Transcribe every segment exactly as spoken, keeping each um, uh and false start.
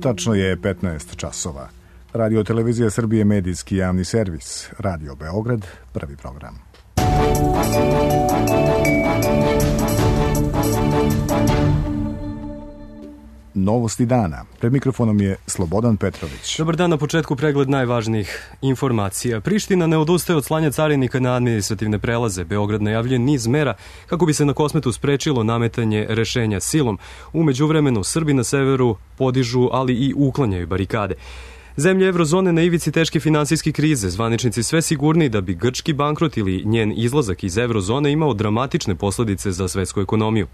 Tačno je petnaest časova. Radio Televizija Srbije, medijski javni servis. Radio Beograd, prvi program. Novosti dana. Pred mikrofonom je Slobodan Petrović. Dobar dan, na početku pregled najvažnijih informacija. Priština ne odustaje od slanja carinika na administrativne prelaze. Beograd najavljuje niz mera kako bi se na Kosmetu sprečilo nametanje rešenja silom. U međuvremenu Srbi na severu podižu, ali i uklanjaju barikade. Zemlje Evrozone na ivici teške finansijske krize, zvaničnici sve sigurniji da bi grčki bankrot ili njen izlazak iz Evrozone imao dramatične posledice za svetsku ekonomiju.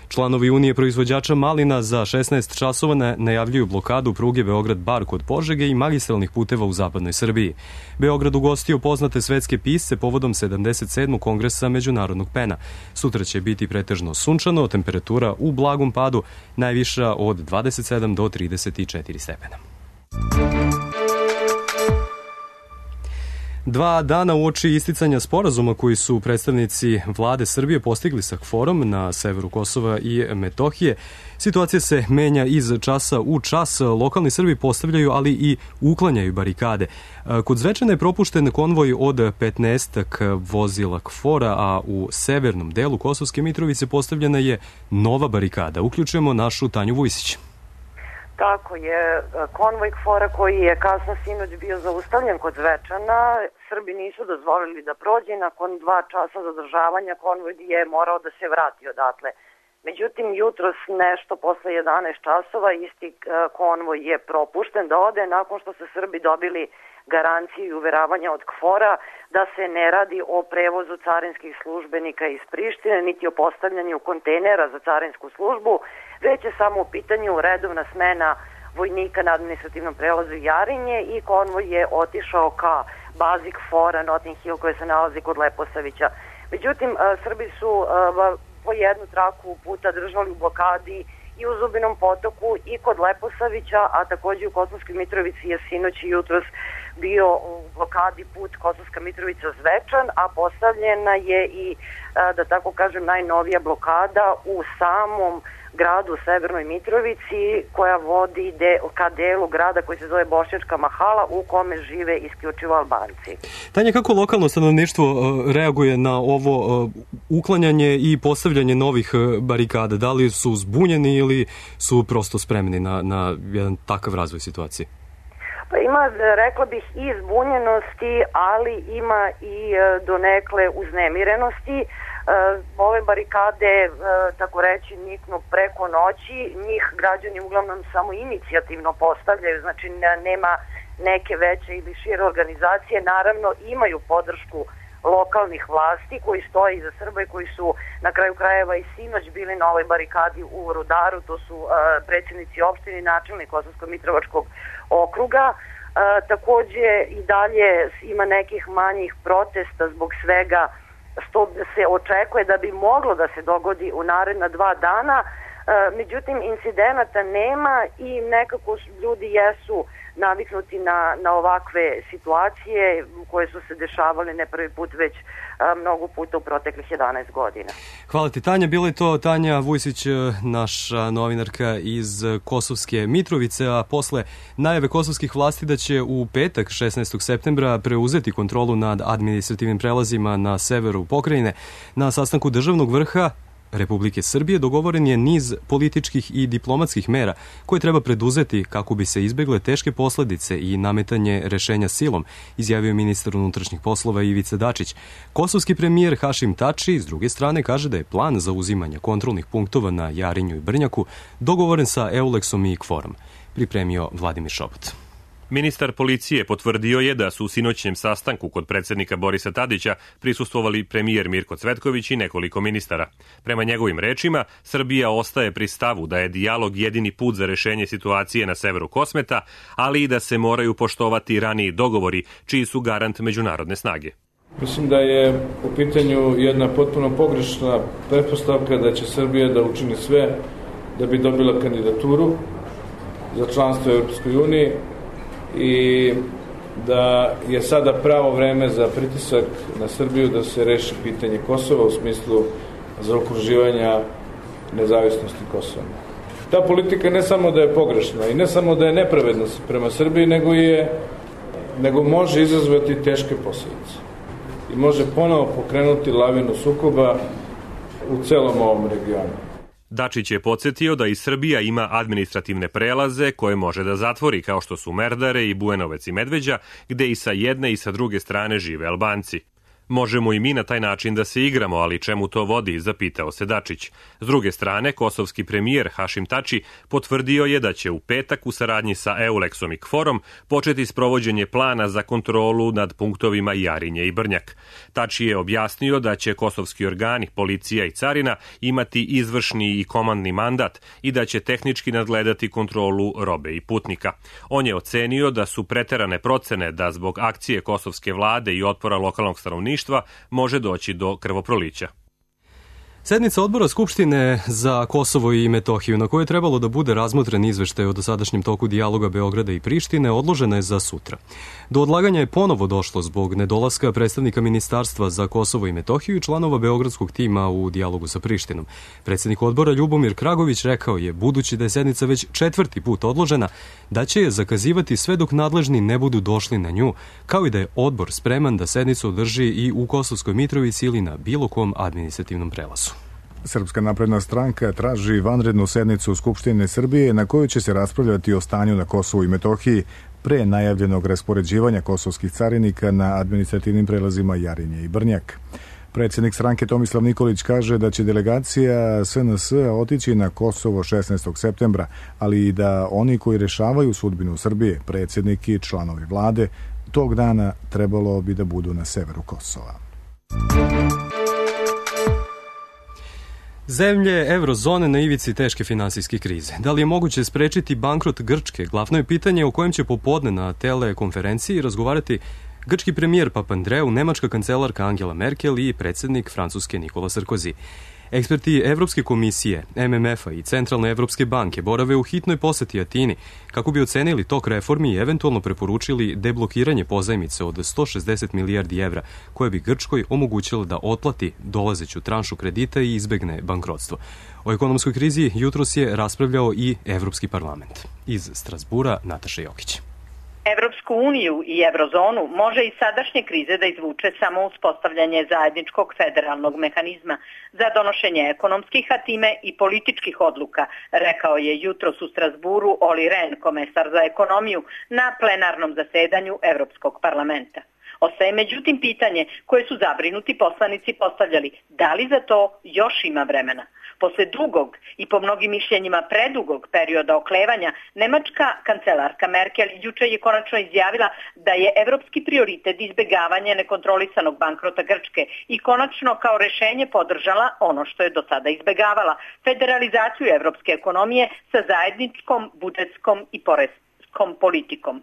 Članovi Unije proizvođača malina za šesnaest časova najavljuju blokadu pruge Beograd-Bar kod Požege i magistralnih puteva u zapadnoj Srbiji. Beograd ugostio poznate svetske pisce povodom sedamdeset sedmog kongresa Međunarodnog pena. Sutra će biti pretežno sunčano, temperatura u blagom padu, najviša od dvadeset sedam do trideset četiri stepena. Dva dana uoči isticanja sporazuma koji su predstavnici vlade Srbije postigli sa KFOR-om na severu Kosova i Metohije, situacija se menja iz časa u čas. Lokalni Srbi postavljaju, ali i uklanjaju barikade. Kod Zvečana je propušten konvoj od petnaestak vozila KFOR-a, a u severnom delu Kosovske Mitrovice postavljena je nova barikada. Uključujemo našu Tanju Vujsić. Tako je, konvoj KFOR-a koji je kasno sinoć bio zaustavljen kod Zvečana, Srbi nisu dozvolili da prođe, nakon dva časa zadržavanja konvoj je morao da se vrati odatle. Međutim, jutros nešto posle jedanaest časova isti konvoj je propušten da ode nakon što su Srbi dobili garanciju i uveravanja od KFOR-a da se ne radi o prevozu carinskih službenika iz Prištine, niti o postavljanju kontejnera za carinsku službu, već je samo u pitanju redovna smena vojnika na administrativnom prelazu Jarinje i konvoj je otišao ka bazi KFOR-a Notting Hill koja se nalazi kod Leposavića. Međutim, Srbi su po jednu traku puta držali u blokadi i u Zubinom Potoku i kod Leposavića, a takođe u Kosovskoj Mitrovici je sinoć i jutros bio u blokadi put Kosovska Mitrovica-Zvečan, a postavljena je i, da tako kažem, najnovija blokada u samom gradu u Severnoj Mitrovici koja vodi de, ka delu grada koji se zove Bošnjačka Mahala u kome žive isključivo Albanci. Tanja, kako lokalno stanovništvo reaguje na ovo uklanjanje i postavljanje novih barikada? Da li su zbunjeni ili su prosto spremni na, na jedan takav razvoj situacije? Pa ima, rekla bih, i zbunjenosti, ali ima i donekle uznemirenosti. Ove barikade, tako reći, niknu preko noći, njih građani uglavnom samo inicijativno postavljaju, znači nema neke veće ili šire organizacije, naravno imaju podršku lokalnih vlasti koji stoje iza Srba i koji su na kraju krajeva i sinoć bili na ovoj barikadi u Rudaru, to su predsjednici opštine i načelnik Kosovsko-Mitrovačkog okruga. Takođe i dalje ima nekih manjih protesta zbog svega što se očekuje da bi moglo da se dogodi u naredna dva dana, međutim incidenata nema i nekako ljudi jesu naviknuti na, na ovakve situacije koje su se dešavale ne prvi put, već a, mnogo puta u proteklih jedanaest godina. Hvala ti, Tanja. Bila je to Tanja Vujsić, naša novinarka iz Kosovske Mitrovice, a posle najave kosovskih vlasti da će u petak šesnaestog septembra preuzeti kontrolu nad administrativnim prelazima na severu pokrajine, na sastanku državnog vrha Republike Srbije dogovoren je niz političkih i diplomatskih mera koje treba preduzeti kako bi se izbegle teške posledice i nametanje rešenja silom, izjavio ministar unutrašnjih poslova Ivica Dačić. Kosovski premijer Hašim Tači, s druge strane, kaže da je plan za uzimanje kontrolnih punktova na Jarinju i Brnjaku dogovoren sa Euleksom i KFOR-om, pripremio Vladimir Šopot. Ministar policije potvrdio je da su u sinoćnjem sastanku kod predsjednika Borisa Tadića prisustvovali premijer Mirko Cvetković i nekoliko ministara. Prema njegovim rečima, Srbija ostaje pri stavu da je dijalog jedini put za rešenje situacije na severu Kosmeta, ali i da se moraju poštovati raniji dogovori, čiji su garant međunarodne snage. Mislim da je u pitanju jedna potpuno pogrešna pretpostavka da će Srbija da učini sve da bi dobila kandidaturu za članstvo u Europskoj uniji i da je sada pravo vreme za pritisak na Srbiju da se reši pitanje Kosova u smislu zaokruživanja nezavisnosti Kosova. Ta politika ne samo da je pogrešna i ne samo da je nepravedna prema Srbiji, nego, je, nego može izazvati teške posljedice i može ponovo pokrenuti lavinu sukoba u celom ovom regionu. Dačić je podsjetio da i Srbija ima administrativne prelaze koje može da zatvori, kao što su Merdare i Bujanovec i Medveđa, gde i sa jedne i sa druge strane žive Albanci. Možemo i mi na taj način da se igramo, ali čemu to vodi, zapitao se Dačić. S druge strane, kosovski premijer Hašim Tači potvrdio je da će u petak u saradnji sa Euleksom i Kforom početi sprovođenje plana za kontrolu nad punktovima Jarinje i Brnjak. Tači je objasnio da će kosovski organi, policija i carina imati izvršni i komandni mandat i da će tehnički nadgledati kontrolu robe i putnika. On je ocenio da su preterane procene da zbog akcije kosovske vlade i otpora lokalnog stanovništva može doći do krvoprolića. Sednica odbora Skupštine za Kosovo i Metohiju, na kojoj je trebalo da bude razmotren izveštaj o dosadašnjem toku dijaloga Beograda i Prištine, odložena je za sutra. Do odlaganja je ponovo došlo zbog nedolaska predstavnika Ministarstva za Kosovo i Metohiju i članova beogradskog tima u dijalogu sa Prištinom. Predsednik odbora Ljubomir Kragović rekao je, budući da je sednica već četvrti put odložena, da će je zakazivati sve dok nadležni ne budu došli na nju, kao i da je odbor spreman da sednicu održi i u Kosovskoj Mitrovici ili na bilo kom administrativnom prelazu. Srpska napredna stranka traži vanrednu sednicu Skupštine Srbije na kojoj će se raspravljati o stanju na Kosovu i Metohiji pre najavljenog raspoređivanja kosovskih carinika na administrativnim prelazima Jarinje i Brnjak. Predsjednik stranke Tomislav Nikolić kaže da će delegacija S N S otići na Kosovo šesnaestog septembra, ali i da oni koji rešavaju sudbinu Srbije, predsjednik i članovi vlade, tog dana trebalo bi da budu na severu Kosova. Zemlje eurozone na ivici teške finansijske krize. Da li je moguće sprečiti bankrot Grčke? Glavno je pitanje o kojem će popodne na telekonferenciji razgovarati grčki premijer Papandreou, nemačka kancelarka Angela Merkel i predsjednik Francuske Nikola Sarkozy. Eksperti Evropske komisije, M M F-a i Centralne Evropske banke borave u hitnoj poseti Atini kako bi ocenili tok reformi i eventualno preporučili deblokiranje pozajmice od sto šezdeset milijardi evra, koje bi Grčkoj omogućilo da otplati dolazeću tranšu kredita i izbegne bankrotstvo. O ekonomskoj krizi jutros je raspravljao i Evropski parlament. Iz Strasbura Nataša Jokić. Evropsku uniju i eurozonu može iz sadašnje krize da izvuče samo uspostavljanje zajedničkog federalnog mehanizma za donošenje ekonomskih, a time i političkih odluka, rekao je jutros u Strasburu Olli Rehn, komesar za ekonomiju, na plenarnom zasedanju Evropskog parlamenta. Ostaje međutim pitanje koje su zabrinuti poslanici postavljali, da li za to još ima vremena. Posle dugog i po mnogim mišljenjima predugog perioda oklevanja, nemačka kancelarka Merkel juče je konačno izjavila da je evropski prioritet izbegavanje nekontrolisanog bankrota Grčke i konačno kao rešenje podržala ono što je do sada izbegavala, federalizaciju evropske ekonomije sa zajedničkom budžetskom i poreskom politikom.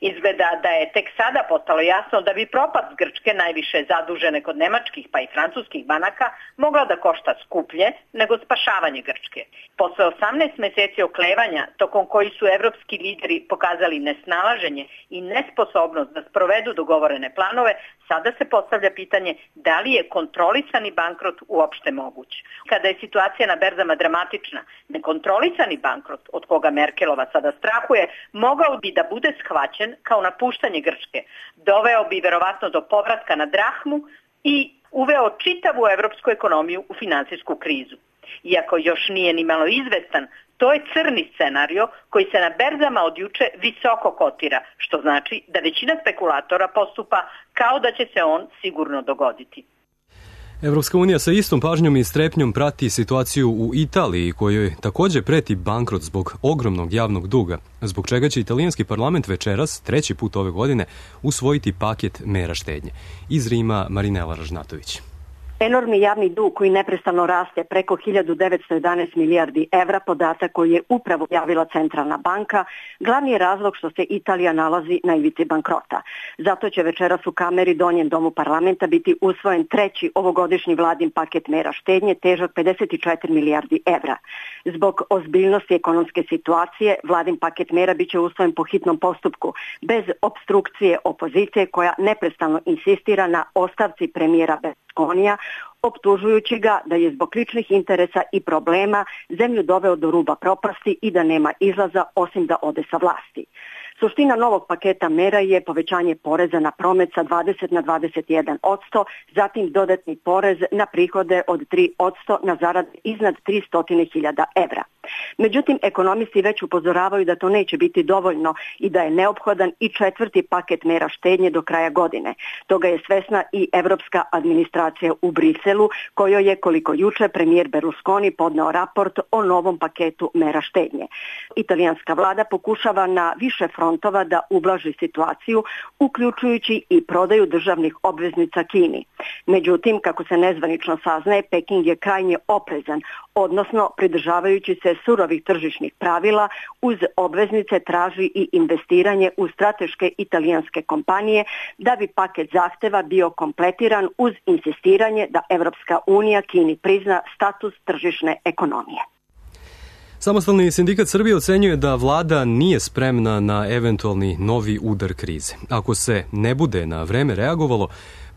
Izgleda da je tek sada postalo jasno da bi propast Grčke, najviše zadužene kod nemačkih pa i francuskih banaka, mogla da košta skuplje nego spašavanje Grčke. Posle osamnaest meseci oklevanja, tokom koji su evropski lideri pokazali nesnalaženje i nesposobnost da sprovedu dogovorene planove, sada se postavlja pitanje da li je kontrolisani bankrot uopšte moguć. Kada je situacija na berzama dramatična, nekontrolisani bankrot, od koga Merkelova sada strahuje, mogao bi da bude shvaćen kao napuštanje Grčke. Doveo bi verovatno do povratka na drahmu i uveo čitavu evropsku ekonomiju u finansijsku krizu. Iako još nije ni malo izvestan, to je crni scenario koji se na berzama od juče visoko kotira, što znači da većina spekulatora postupa kao da će se on sigurno dogoditi. Evropska unija sa istom pažnjom i strepnjom prati situaciju u Italiji, kojoj također preti bankrot zbog ogromnog javnog duga, zbog čega će italijanski parlament večeras, treći put ove godine, usvojiti paket mera štednje. Iz Rima Marinela Ražnatović. Enormni javni dug koji neprestano raste preko hiljadu devetsto jedanaest milijardi evra, podatak koji je upravo javila Centralna banka, glavni je razlog što se Italija nalazi na ivici bankrota. Zato će večeras u Kameri, donjem domu parlamenta, biti usvojen treći ovogodišnji vladin paket mera štednje težak pedeset četiri milijardi evra. Zbog ozbiljnosti ekonomske situacije, vladin paket mera biće usvojen po hitnom postupku, bez opstrukcije opozicije koja neprestano insistira na ostavci premijera Berlusconija, optužujući ga da je zbog ličnih interesa i problema zemlju doveo do ruba propasti i da nema izlaza osim da ode sa vlasti. Suština novog paketa mera je povećanje poreza na promet sa dvadeset na dvadeset jedan posto, zatim dodatni porez na prihode od tri posto na zarade iznad tristo hiljada evra. Međutim, ekonomisti već upozoravaju da to neće biti dovoljno i da je neophodan i četvrti paket mera štednje do kraja godine. Toga je svesna i evropska administracija u Briselu, kojoj je, koliko juče, premijer Berlusconi podneo raport o novom paketu mera štednje. Italijanska vlada pokušava na više frontova da ublaži situaciju, uključujući i prodaju državnih obveznica Kini. Međutim, kako se nezvanično saznaje, Peking je krajnje oprezan, odnosno pridržavajući se surovih tržišnih pravila, uz obveznice traži i investiranje u strateške italijanske kompanije da bi paket zahteva bio kompletiran uz insistiranje da Evropska unija Kini prizna status tržišne ekonomije. Samostalni sindikat Srbije ocenjuje da vlada nije spremna na eventualni novi udar krize. Ako se ne bude na vreme reagovalo,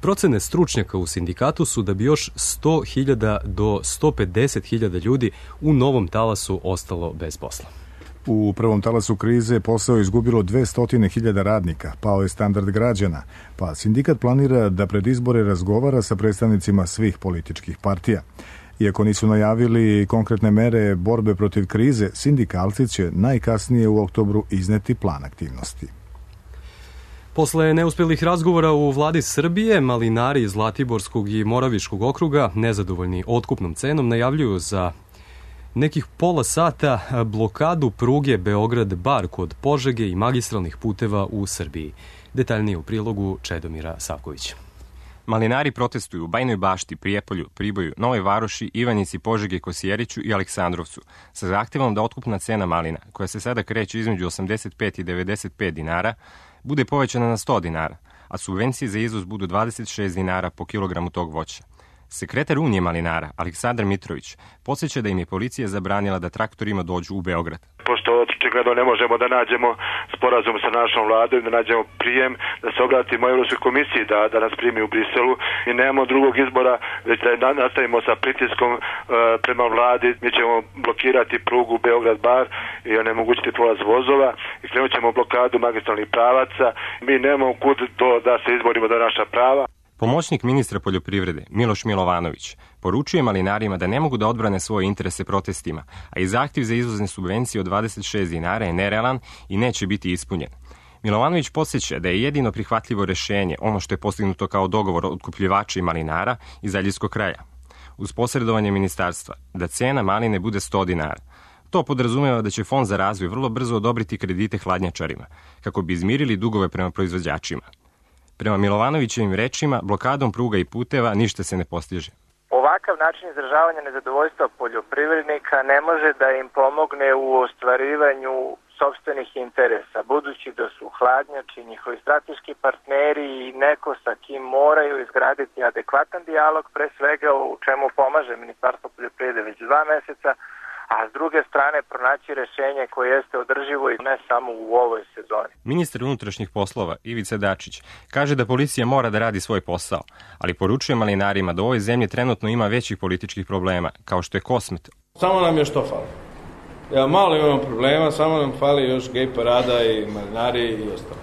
procene stručnjaka u sindikatu su da bi još sto hiljada do sto pedeset hiljada ljudi u novom talasu ostalo bez posla. U prvom talasu krize posao je izgubilo dvesta hiljada radnika, pao je standard građana, pa sindikat planira da pred izbore razgovara sa predstavnicima svih političkih partija. Iako nisu najavili konkretne mere borbe protiv krize, sindikalci će najkasnije u oktobru izneti plan aktivnosti. Posle neuspelih razgovora u vladi Srbije, malinari iz Zlatiborskog i Moraviškog okruga, nezadovoljni otkupnom cenom, najavljuju za nekih pola sata blokadu pruge Beograd-Bar kod Požege i magistralnih puteva u Srbiji. Detaljnije u prilogu Čedomira Savkovića. Malinari protestuju u Bajnoj Bašti, Prijepolju, Priboju, Novoj Varoši, Ivanjici, Požegi, Kosjeriću i Aleksandrovcu sa zahtevom da otkupna cena malina, koja se sada kreće između osamdeset pet i devedeset pet dinara, bude povećana na sto dinara, a subvencije za izvoz budu dvadeset šest dinara po kilogramu tog voća. Sekretar Unije malinara, Aleksandar Mitrović, podsjeća da im je policija zabranila da traktorima dođu u Beograd. Pošto očigledno ne možemo da nađemo sporazum sa našom vladom, da nađemo prijem, da se obratimo Evropskoj komisiji da, da nas primi u Briselu i nemamo drugog izbora, već da nastavimo sa pritiskom e, prema vladi. Mi ćemo blokirati prugu Beograd-Bar i onemogućiti prolaz vozova i krenut ćemo blokadu magistralnih pravaca. Mi nemamo kud to da se izborimo za naša prava. Pomoćnik ministra poljoprivrede Miloš Milovanović poručuje malinarima da ne mogu da odbrane svoje interese protestima, a i zahtjev za izvozne subvencije od dvadeset šest dinara je nerealan i neće biti ispunjen. Milovanović podsjeća da je jedino prihvatljivo rešenje ono što je postignuto kao dogovor otkupljivača i malinara iz Aljevskog kraja, uz posredovanje ministarstva, da cena maline bude sto dinara. To podrazumeva da će Fond za razvoj vrlo brzo odobriti kredite hladnjačarima, kako bi izmirili dugove prema proizvođačima. Prema Milovanovićevim rečima, blokadom pruga i puteva ništa se ne postiže. Ovakav način izražavanja nezadovoljstva poljoprivrednika ne može da im pomogne u ostvarivanju sopstvenih interesa, budući da su hladnjači, njihovi strateški partneri i neko sa kim moraju izgraditi adekvatan dijalog, pre svega u čemu pomaže Ministarstvo poljoprivrede već dva meseca, a s druge strane pronaći rešenje koje jeste održivo i ne samo u ovoj sezoni. Ministar unutrašnjih poslova Ivica Dačić kaže da policija mora da radi svoj posao, ali poručuje malinarima da u ovoj zemlji trenutno ima većih političkih problema, kao što je Kosmet. Samo nam je što fali. Ja, malo imamo problema, samo nam fali još gej parada i malinari i ostalo.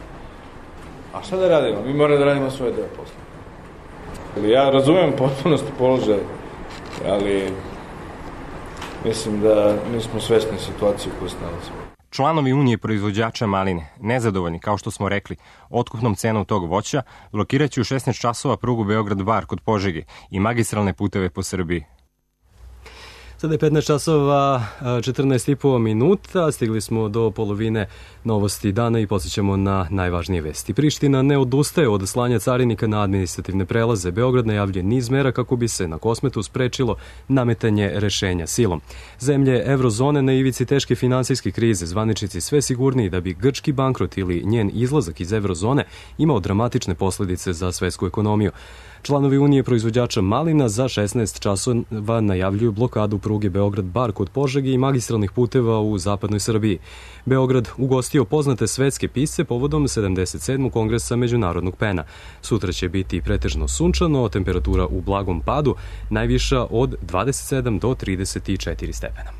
A šta da radimo? Mi moramo da radimo svoje deo posla. Ja razumijem potpunosti položaj, ali mislim da nismo svesni situacije u kojoj se nalazimo. Članovi Unije proizvođača maline, nezadovoljni, kao što smo rekli, otkupnom cenom tog voća, blokiraće u šesnaest časova prugu Beograd-Bar kod Požege i magistralne puteve po Srbiji. Sada je petnaest časova četrnaest i po minuta, stigli smo do polovine novosti dana i podsjećamo na najvažnije vesti. Priština ne odustaje od slanja carinika na administrativne prelaze. Beograd najavljuje niz mera kako bi se na Kosmetu sprečilo nametanje rešenja silom. Zemlje Evrozone na ivici teške finansijske krize, zvaničnici sve sigurniji da bi grčki bankrot ili njen izlazak iz Evrozone imao dramatične posledice za svetsku ekonomiju. Članovi Unije proizvođača malina za šesnaest časova najavljuju blokadu pruge pruge Beograd-Bar kod Požege i magistralnih puteva u zapadnoj Srbiji. Beograd ugostio poznate svetske pisce povodom sedamdeset sedmog kongresa Međunarodnog pena. Sutra će biti pretežno sunčano, temperatura u blagom padu, najviša od dvadeset sedam do trideset četiri stepena.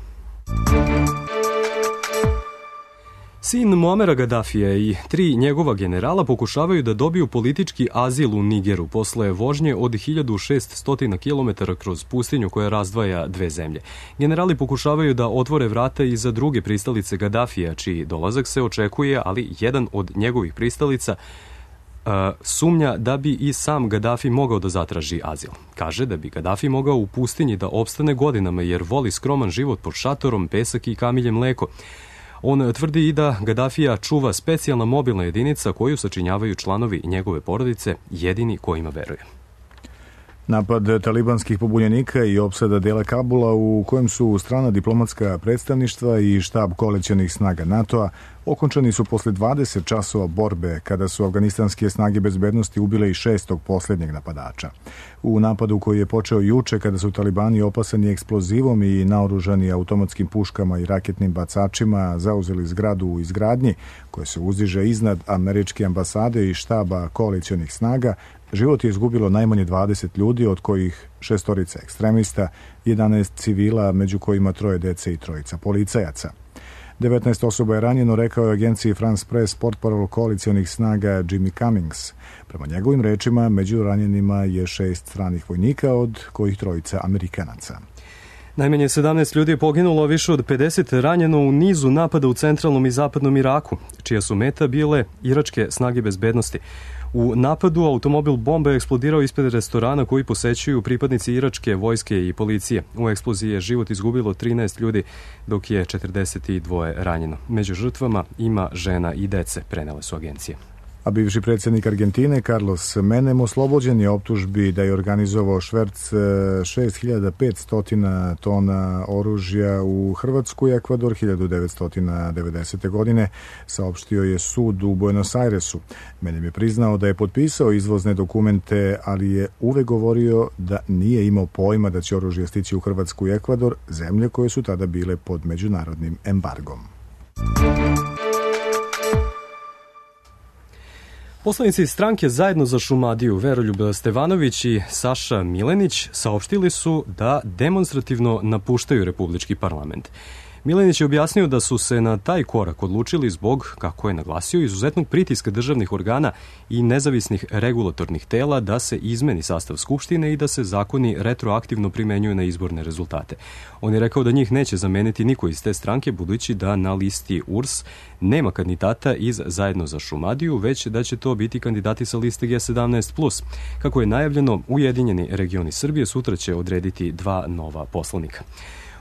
Sin Muamera Gadafija i tri njegova generala pokušavaju da dobiju politički azil u Nigeru posle vožnje od hiljadu šeststo kilometara kroz pustinju koja razdvaja dve zemlje. Generali pokušavaju da otvore vrata i za druge pristalice Gadafija, čiji dolazak se očekuje, ali jedan od njegovih pristalica Uh, sumnja da bi i sam Gadafi mogao da zatraži azil. Kaže da bi Gadafi mogao u pustinji da opstane godinama jer voli skroman život pod šatorom, pesak i kamilje mleko. On tvrdi i da Gadafija čuva specijalna mobilna jedinica koju sačinjavaju članovi njegove porodice, jedini kojima veruje. Napad talibanskih pobunjenika i opsada dela Kabula u kojem su strana diplomatska predstavništva i štab koalicionih snaga NATO-a okončani su posle dvadeset časova borbe kada su afganistanske snage bezbednosti ubile i šestog posljednjeg napadača. U napadu koji je počeo juče kada su talibani opasani eksplozivom i naoružani automatskim puškama i raketnim bacačima zauzeli zgradu u izgradnji koja se uzdiže iznad američke ambasade i štaba koalicionih snaga, život je izgubilo najmanje dvadeset ljudi, od kojih šestorica ekstremista, jedanaest civila, među kojima troje dece i trojica policajaca. devetnaest osoba je ranjeno, rekao je agenciji France Press portparol koalicionih snaga Jimmy Cummings. Prema njegovim rečima, među ranjenima je šest stranih vojnika, od kojih trojica Amerikanaca. Najmanje sedamnaest ljudi je poginulo, a više od pedeset ranjeno u nizu napada u centralnom i zapadnom Iraku, čija su meta bile iračke snage bezbednosti. U napadu automobil bomba je eksplodirao ispred restorana koji posećuju pripadnici iračke vojske i policije. U eksploziji je život izgubilo trinaest ljudi, dok je četrdeset dva ranjeno. Među žrtvama ima žena i dece, prenele su agencije. A bivši predsjednik Argentine Carlos Menem oslobođen je optužbi da je organizovao šverc šest hiljada petsto tona oružja u Hrvatsku i Ekvador hiljadu devetsto devedesete. godine, saopštio je sud u Buenos Airesu. Menem je priznao da je potpisao izvozne dokumente, ali je uvek govorio da nije imao pojma da će oružje stići u Hrvatsku i Ekvador, zemlje koje su tada bile pod međunarodnim embargom. Poslanici stranke Zajedno za Šumadiju, Veroljub Stevanović i Saša Milenić, saopštili su da demonstrativno napuštaju Republički parlament. Milenić je objasnio da su se na taj korak odlučili zbog, kako je naglasio, izuzetnog pritiska državnih organa i nezavisnih regulatornih tela da se izmeni sastav Skupštine i da se zakoni retroaktivno primenjuju na izborne rezultate. On je rekao da njih neće zameniti niko iz te stranke, budući da na listi U R S nema kandidata iz Zajedno za Šumadiju, već da će to biti kandidati sa liste G sedamnaest plus. Kako je najavljeno, Ujedinjeni regioni Srbije sutra će odrediti dva nova poslanika.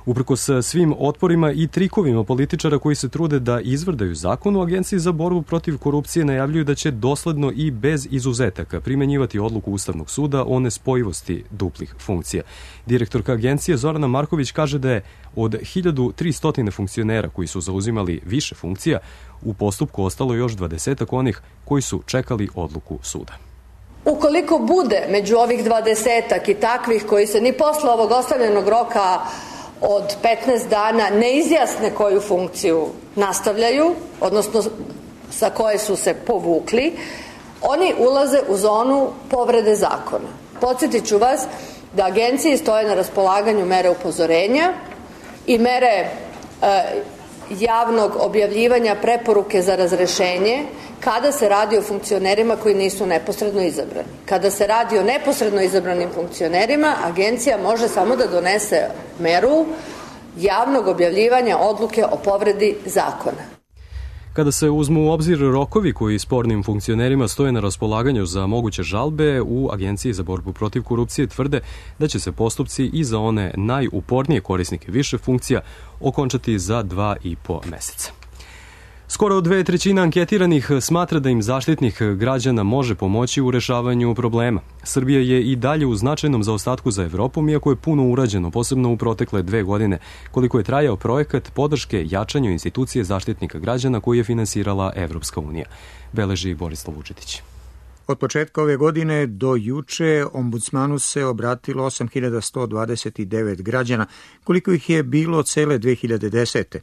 Uprkos svim otporima i trikovima političara koji se trude da izvrdaju zakon, u Agenciji za borbu protiv korupcije najavljuju da će dosledno i bez izuzetaka primenjivati odluku Ustavnog suda o nespojivosti duplih funkcija. Direktorka agencije Zorana Marković kaže da je od hiljadu tristo funkcionera koji su zauzimali više funkcija u postupku ostalo još dvadesetak onih koji su čekali odluku suda. Ukoliko bude među ovih dvadesetak i takvih koji se ni posle ovog ostavljenog roka od petnaest dana ne izjasne koju funkciju nastavljaju, odnosno sa koje su se povukli, oni ulaze u zonu povrede zakona. Podsjetit ću vas da agenciji stoje na raspolaganju mere upozorenja i mere e, javnog objavljivanja preporuke za razrešenje kada se radi o funkcionerima koji nisu neposredno izabrani. Kada se radi o neposredno izabranim funkcionerima, agencija može samo da donese meru javnog objavljivanja odluke o povredi zakona. Kada se uzmu u obzir rokovi koji spornim funkcionerima stoje na raspolaganju za moguće žalbe, u Agenciji za borbu protiv korupcije tvrde da će se postupci i za one najupornije korisnike više funkcija okončati za dva i po meseca. Skoro dve trećine anketiranih smatra da im Zaštitnik građana može pomoći u rešavanju problema. Srbija je i dalje u značajnom zaostatku za Evropom, iako je puno urađeno, posebno u protekle dve godine, koliko je trajao projekat podrške jačanju institucije Zaštitnika građana koji je finansirala Evropska unija, beleži Borislav Vučetić. Od početka ove godine do juče ombudsmanu se obratilo osam hiljada sto dvadeset devet građana, koliko ih je bilo cele dve hiljade desete.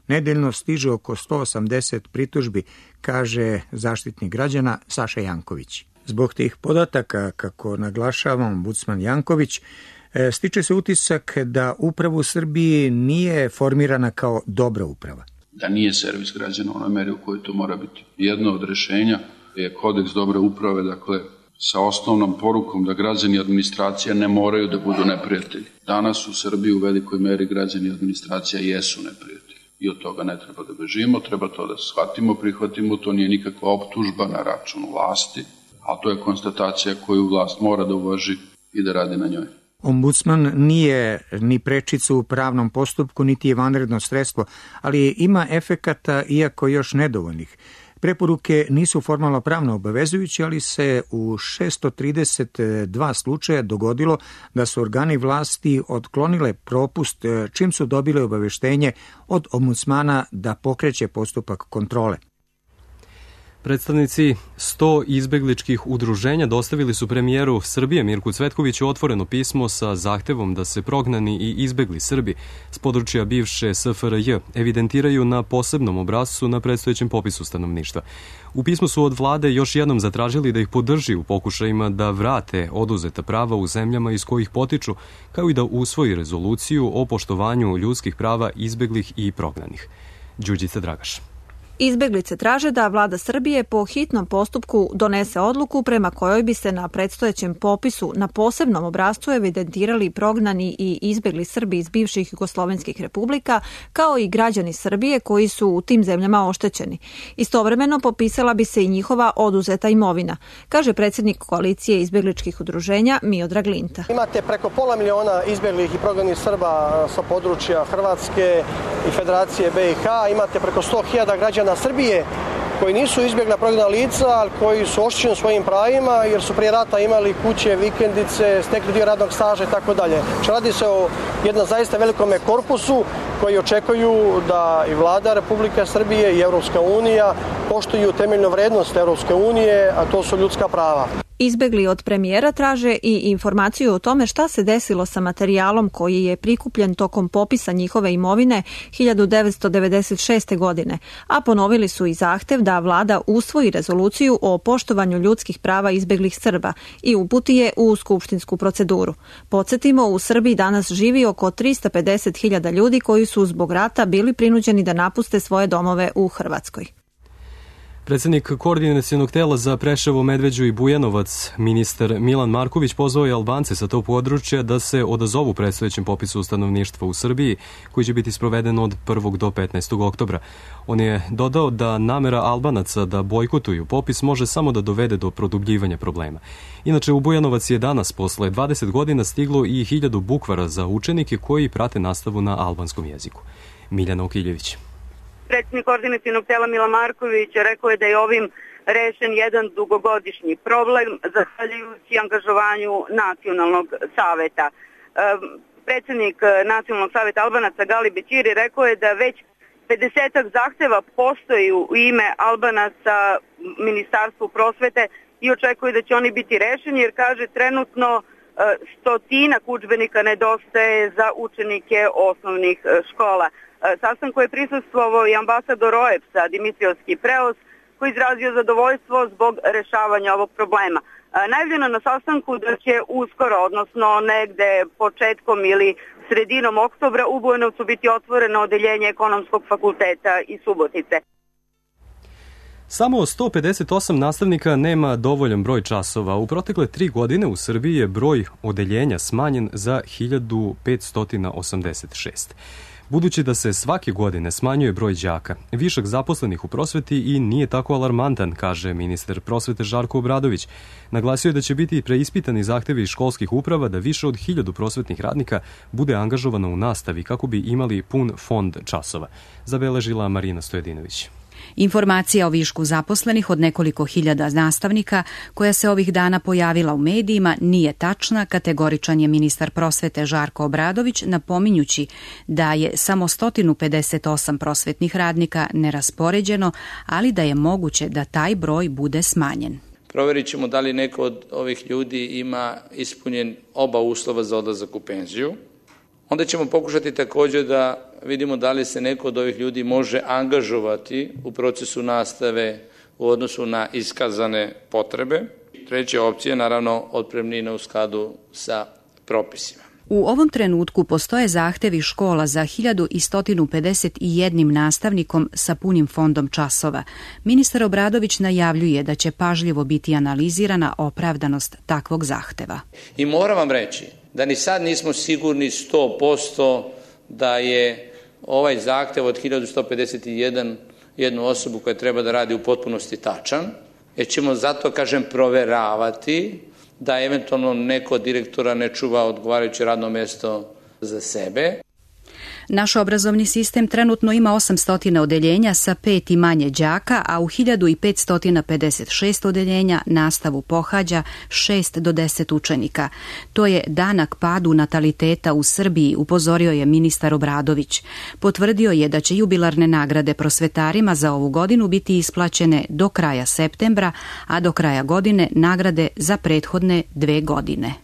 Nedeljno stiže oko sto osamdeset pritužbi, kaže zaštitnik građana Saša Janković. Zbog tih podataka, kako naglašava ombudsman Janković, stiče se utisak da uprava u Srbiji nije formirana kao dobra uprava. Da nije servis građana u onoj meri u kojoj to mora biti. Jedno od rešenja je kodeks dobre uprave, dakle, sa osnovnom porukom da građani i administracija ne moraju da budu neprijatelji. Danas u Srbiji u velikoj meri građani i administracija jesu neprijatelji. I od toga ne treba da bežimo, treba to da shvatimo, prihvatimo, to nije nikakva optužba na račun vlasti, a to je konstatacija koju vlast mora da uvaži i da radi na njoj. Ombudsman nije ni prečica u pravnom postupku, niti je vanredno sredstvo, ali ima efekata, iako još nedovoljnih. Preporuke nisu formalno pravno obavezujuće, ali se u šesto trideset dva slučaja dogodilo da su organi vlasti otklonile propust čim su dobile obaveštenje od ombudsmana da pokreće postupak kontrole. Predstavnici sto izbegličkih udruženja dostavili su premijeru Srbije Mirku Cvetkoviću otvoreno pismo sa zahtevom da se prognani i izbegli Srbi s područja bivše S F R J evidentiraju na posebnom obrascu na predstojećem popisu stanovništva. U pismu su od vlade još jednom zatražili da ih podrži u pokušajima da vrate oduzeta prava u zemljama iz kojih potiču, kao i da usvoji rezoluciju o poštovanju ljudskih prava izbeglih i prognanih. Đurđica Dragaš. Izbeglice traže da vlada Srbije po hitnom postupku donese odluku prema kojoj bi se na predstojećem popisu na posebnom obrascu evidentirali prognani i izbegli Srbi iz bivših jugoslovenskih republika, kao i građani Srbije koji su u tim zemljama oštećeni. Istovremeno popisala bi se i njihova oduzeta imovina, kaže predsjednik koalicije izbegličkih udruženja Miodrag Linta. Imate preko pola miliona izbeglih i prognanih Srba sa područja Hrvatske i Federacije B i H, imate preko sto hiljada građana Srbije koji nisu izbjegla prognana lica, ali koji su oštećeni svojim pravima jer su prije rata imali kuće, vikendice, stekli dio radnog staža i tako dalje. Radi se o jednom zaista velikom korpusu koji očekuju da i vlada Republike Srbije i Evropska unija poštuju temeljnu vrednost Evropske unije, a to su ljudska prava. Izbegli od premijera traže i informaciju o tome šta se desilo sa materijalom koji je prikupljen tokom popisa njihove imovine hiljadu devetsto devedeset šeste. godine, a ponovili su i zahtev da vlada usvoji rezoluciju o poštovanju ljudskih prava izbeglih Srba i uputi je u skupštinsku proceduru. Podsjetimo, u Srbiji danas živi oko tristo pedeset hiljada ljudi koji su zbog rata bili prinuđeni da napuste svoje domove u Hrvatskoj. Predsednik koordinacionog tela za Preševo, Medveđu i Bujanovac, ministar Milan Marković, pozvao je Albance sa tog područja da se odazovu predstojećem popisu stanovništva u Srbiji, koji će biti sproveden od prvog do petnaestog oktobra. On je dodao da namera Albanaca da bojkotuju popis može samo da dovede do produbljivanja problema. Inače, u Bujanovac je danas posle dvadeset godina stiglo i hiljadu bukvara za učenike koji prate nastavu na albanskom jeziku. Miljana Okiljević. Predsjednik koordinacionog tela Milan Marković rekao je da je ovim rešen jedan dugogodišnji problem zahvaljujući angažovanju Nacionalnog saveta. E, predsjednik Nacionalnog saveta Albanaca Gali Bećiri rekao je da već pedesetak zahteva postoji u ime Albanaca Ministarstvu prosvete i očekuje da će oni biti rešeni jer kaže trenutno stotinak udžbenika nedostaje za učenike osnovnih škola. Sastanku je prisustvovao i ambasador O E P S-a Dimitrios Kipreos, koji izrazio zadovoljstvo zbog rešavanja ovog problema. Najavljeno na sastanku da će uskoro, odnosno negde početkom ili sredinom oktobra, u Bujanovcu biti otvoreno odeljenje Ekonomskog fakulteta iz Subotice. Samo sto pedeset osam nastavnika nema dovoljan broj časova. U protekle tri godine u Srbiji je broj odeljenja smanjen za hiljadu petsto osamdeset šest. Budući da se svake godine smanjuje broj đaka, višak zaposlenih u prosveti i nije tako alarmantan, kaže ministar prosvete Žarko Obradović. Naglasio je da će biti preispitani zahtevi školskih uprava da više od hiljadu prosvetnih radnika bude angažovano u nastavi kako bi imali pun fond časova, zabeležila Marina Stojedinović. Informacija o višku zaposlenih od nekoliko hiljada nastavnika koja se ovih dana pojavila u medijima nije tačna, kategoričan je ministar prosvete Žarko Obradović, napominjući da je samo sto pedeset osam prosvetnih radnika neraspoređeno, ali da je moguće da taj broj bude smanjen. Proverit ćemo da li neko od ovih ljudi ima ispunjen oba uslova za odlazak u penziju. Onda ćemo pokušati također da vidimo da li se neko od ovih ljudi može angažovati u procesu nastave u odnosu na iskazane potrebe. Treća opcija je naravno otpremnina u skladu sa propisima. U ovom trenutku postoje zahtevi škola za hiljadu sto pedeset jedan nastavnikom sa punim fondom časova. Ministar Obradović najavljuje da će pažljivo biti analizirana opravdanost takvog zahteva. I moram vam reći da ni sad nismo sigurni sto posto da je ovaj zahtev od hiljadu sto pedeset jedan jednu osobu koja treba da radi u potpunosti tačan, jer ćemo zato, kažem, proveravati da eventualno neko od direktora ne čuva odgovarajuće radno mjesto za sebe. Naš obrazovni sistem trenutno ima osamsto odeljenja sa pet i manje đaka, a u hiljadu petsto pedeset šest odeljenja nastavu pohađa šest do deset učenika. To je danak padu nataliteta u Srbiji, upozorio je ministar Obradović. Potvrdio je da će jubilarne nagrade prosvetarima za ovu godinu biti isplaćene do kraja septembra, a do kraja godine nagrade za prethodne dve godine.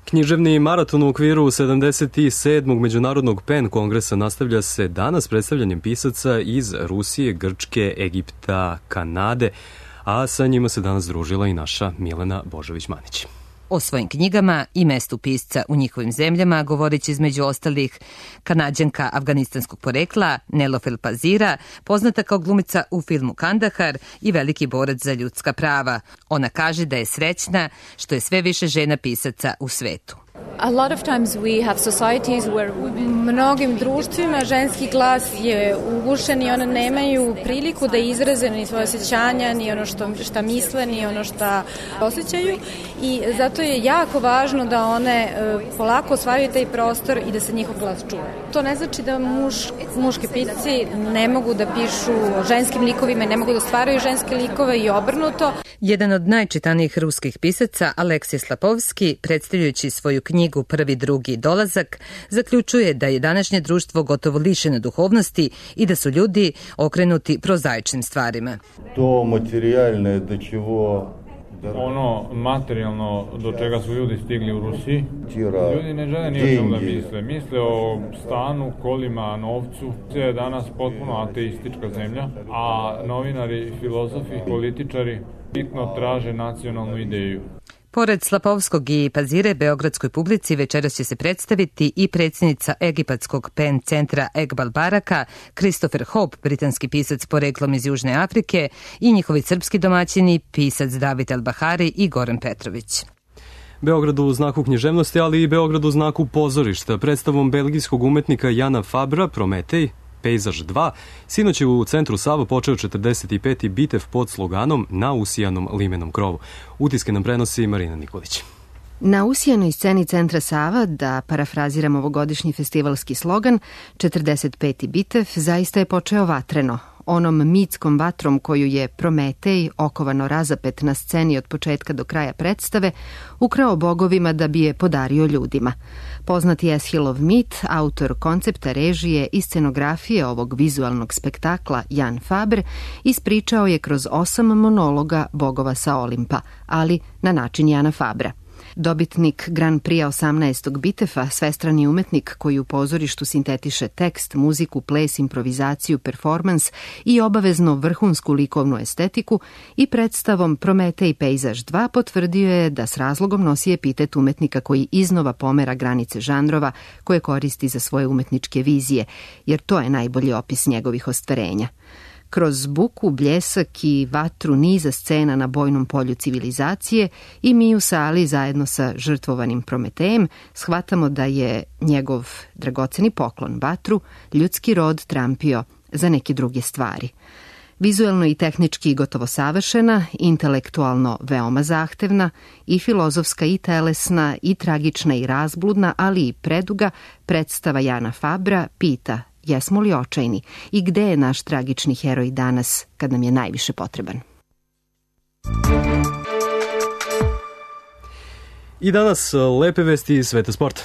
Književni maraton u okviru sedamdeset sedmog Međunarodnog PEN kongresa nastavlja se danas predstavljanjem pisaca iz Rusije, Grčke, Egipta, Kanade, a sa njima se danas družila i naša Milena Božović-Manić. O svojim knjigama i mestu pisca u njihovim zemljama govorit će između ostalih Kanadjanka afganistanskog porekla Nelofel Pazira, poznata kao glumica u filmu Kandahar i veliki borac za ljudska prava. Ona kaže da je srećna što je sve više žena pisaca u svetu. A lot of times we have societies where u mnogim društvima ženski glas je ugušen i one nemaju priliku da izraze ni svoje osjećanja, ni ono što, šta misle, ni ono šta osjećaju i zato je jako važno da one polako osvajaju taj prostor i da se njihov glas čuje. To ne znači da muš, muški pisci ne mogu da pišu o ženskim likovima, ne mogu da stvaraju ženske likove i obrnuto. Jedan od najčitanijih ruskih pisaca, Aleksij Slapovski, predstavljajući svoju knjigu Prvi, drugi dolazak, zaključuje da je današnje društvo gotovo lišeno duhovnosti i da su ljudi okrenuti prozaičnim stvarima. To materijalne do čevo ono materijalno do čega su ljudi stigli u Rusiji, ljudi ne žele ni o čemu da misle. Misle o stanu, kolima, novcu. Sve je danas potpuno ateistička zemlja, a novinari, filozofi, političari bitno traže nacionalnu ideju. Pored Slapovskog i Pazire, beogradskoj publici večeras će se predstaviti i predsjednica egipatskog PEN centra Egbal Baraka, Christopher Hope, britanski pisac poreklom iz Južne Afrike, i njihovi srpski domaćini, pisac David El Bahari i Goran Petrović. Beograd u znaku književnosti, ali i Beograd u znaku pozorišta. Predstavom belgijskog umetnika Jana Fabra, Prometej, Pejzaž dva, sinoć je u centru Sava počeo četrdeset peti bitev pod sloganom Na usijanom limenom krovu. Utiske nam prenosi Marina Nikolić. Na usijanoj sceni centra Sava, da parafraziram ovogodišnji festivalski slogan, četrdeset peti bitev zaista je počeo vatreno. Onom mitskom vatrom koju je Prometej, okovano razapet na sceni od početka do kraja predstave, ukrao bogovima da bi je podario ljudima. Poznati Eschilov mit, autor koncepta, režije i scenografije ovog vizualnog spektakla Jan Fabre, ispričao je kroz osam monologa bogova sa Olimpa, ali na način Jana Fabra. Dobitnik Grand Prix osamnaestog bitefa, svestrani umetnik koji u pozorištu sintetiše tekst, muziku, ples, improvizaciju, performans i obavezno vrhunsku likovnu estetiku, i predstavom Prometej Pejzaž dva potvrdio je da s razlogom nosi epitet umetnika koji iznova pomera granice žanrova koje koristi za svoje umetničke vizije, jer to je najbolji opis njegovih ostvarenja. Kroz buku, bljesak i vatru niza scena na bojnom polju civilizacije i mi u sali zajedno sa žrtvovanim Prometejem shvatamo da je njegov dragoceni poklon vatru ljudski rod trampio za neke druge stvari. Vizuelno i tehnički gotovo savršena, intelektualno veoma zahtevna, i filozofska i telesna, i tragična i razbludna, ali i preduga, predstava Jana Fabra pita: jesmo li očajni i gde je naš tragični heroj danas kad nam je najviše potreban? I danas lepe vesti iz sveta sporta.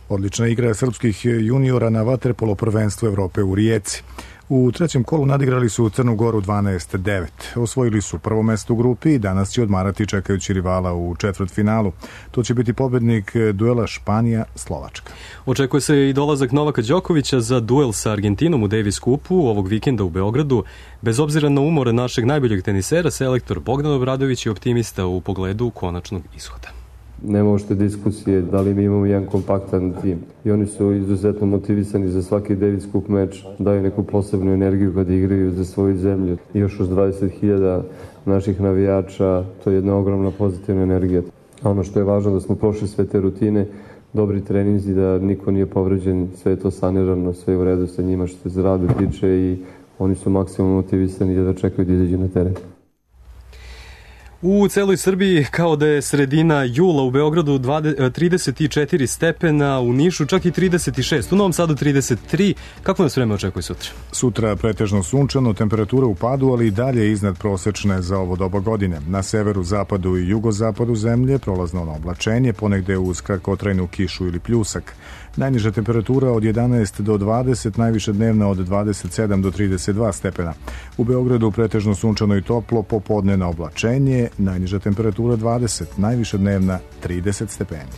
Odlična igra srpskih juniora na vaterpolo prvenstvu Evrope u Rijeci. U trećem kolu nadigrali su Crnu Goru dvanaest devet. Osvojili su prvo mesto u grupi i danas će odmarati čekajući rivala u četvrtfinalu. To će biti pobednik duela Španija-Slovačka. Očekuje se i dolazak Novaka Đokovića za duel sa Argentinom u Davis Cupu ovog vikenda u Beogradu. Bez obzira na umor našeg najboljeg tenisera, selektor Bogdan Obradović je optimista u pogledu konačnog ishoda. Nema ošte diskusije da li mi imamo jedan kompaktan tim. I oni su izuzetno motivisani za svaki Davis Cup meč, daju neku posebnu energiju kad igraju za svoju zemlju. I još uz dvadeset hiljada naših navijača, to je jedna ogromna pozitivna energija. A ono što je važno da smo prošli sve te rutine, dobri treninzi, da niko nije povređen, sve je to sanirano, sve je u redu sa njima što se zdravlje tiče i oni su maksimalno motivisani da čekaju da izađu na teren. U celoj Srbiji kao da je sredina jula, u Beogradu trideset četiri stepena, u Nišu čak i trideset šest, u Novom Sadu trideset tri. Kako nas vreme očekuje sutra? Sutra pretežno sunčano, temperatura u padu, ali i dalje iznad prosečne za ovo doba godine. Na severu, zapadu i jugozapadu zemlje prolazno na oblačenje, ponegde uz kratkotrajnu kišu ili pljusak. Najniža temperatura od jedanaest do dvadeset, najviše dnevna od dvadeset sedam do trideset dva stepena. U Beogradu pretežno sunčano i toplo, popodne na oblačenje, najniža temperatura dvadeset, najviše dnevna trideset stepeni.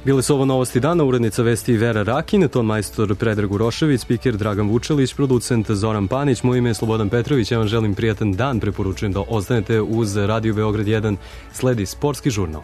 Bile su ovo novosti dana, urednica vesti Vera Rakin, ton majstor Predrag Urošević, spiker Dragan Vučelić, producent Zoran Panić, moje ime je Slobodan Petrović, ja vam želim prijatan dan, preporučujem da ostanete uz Radio Beograd jedan, sledi sportski žurnal.